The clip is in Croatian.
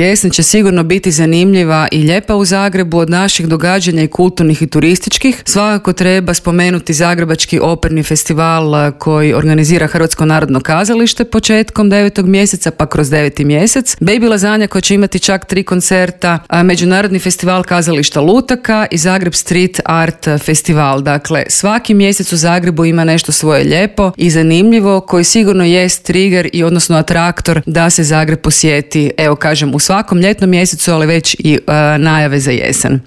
Jesen će sigurno biti zanimljiva i lijepa u Zagrebu. Od naših događanja i kulturnih i turističkih svakako treba spomenuti Zagrebački operni festival koji organizira Hrvatsko narodno kazalište početkom 9. mjeseca pa kroz 9. mjesec. Baby Lazanja koja će imati čak 3 koncerta, Međunarodni festival kazališta lutaka i Zagreb Street Art festival. Dakle, svaki mjesec u Zagrebu ima nešto svoje lijepo i zanimljivo koji sigurno jest trigger i odnosno atraktor da se Zagreb posjeti, evo kažem, u svakom ljetnom mjesecu, ali već i najave za jesen.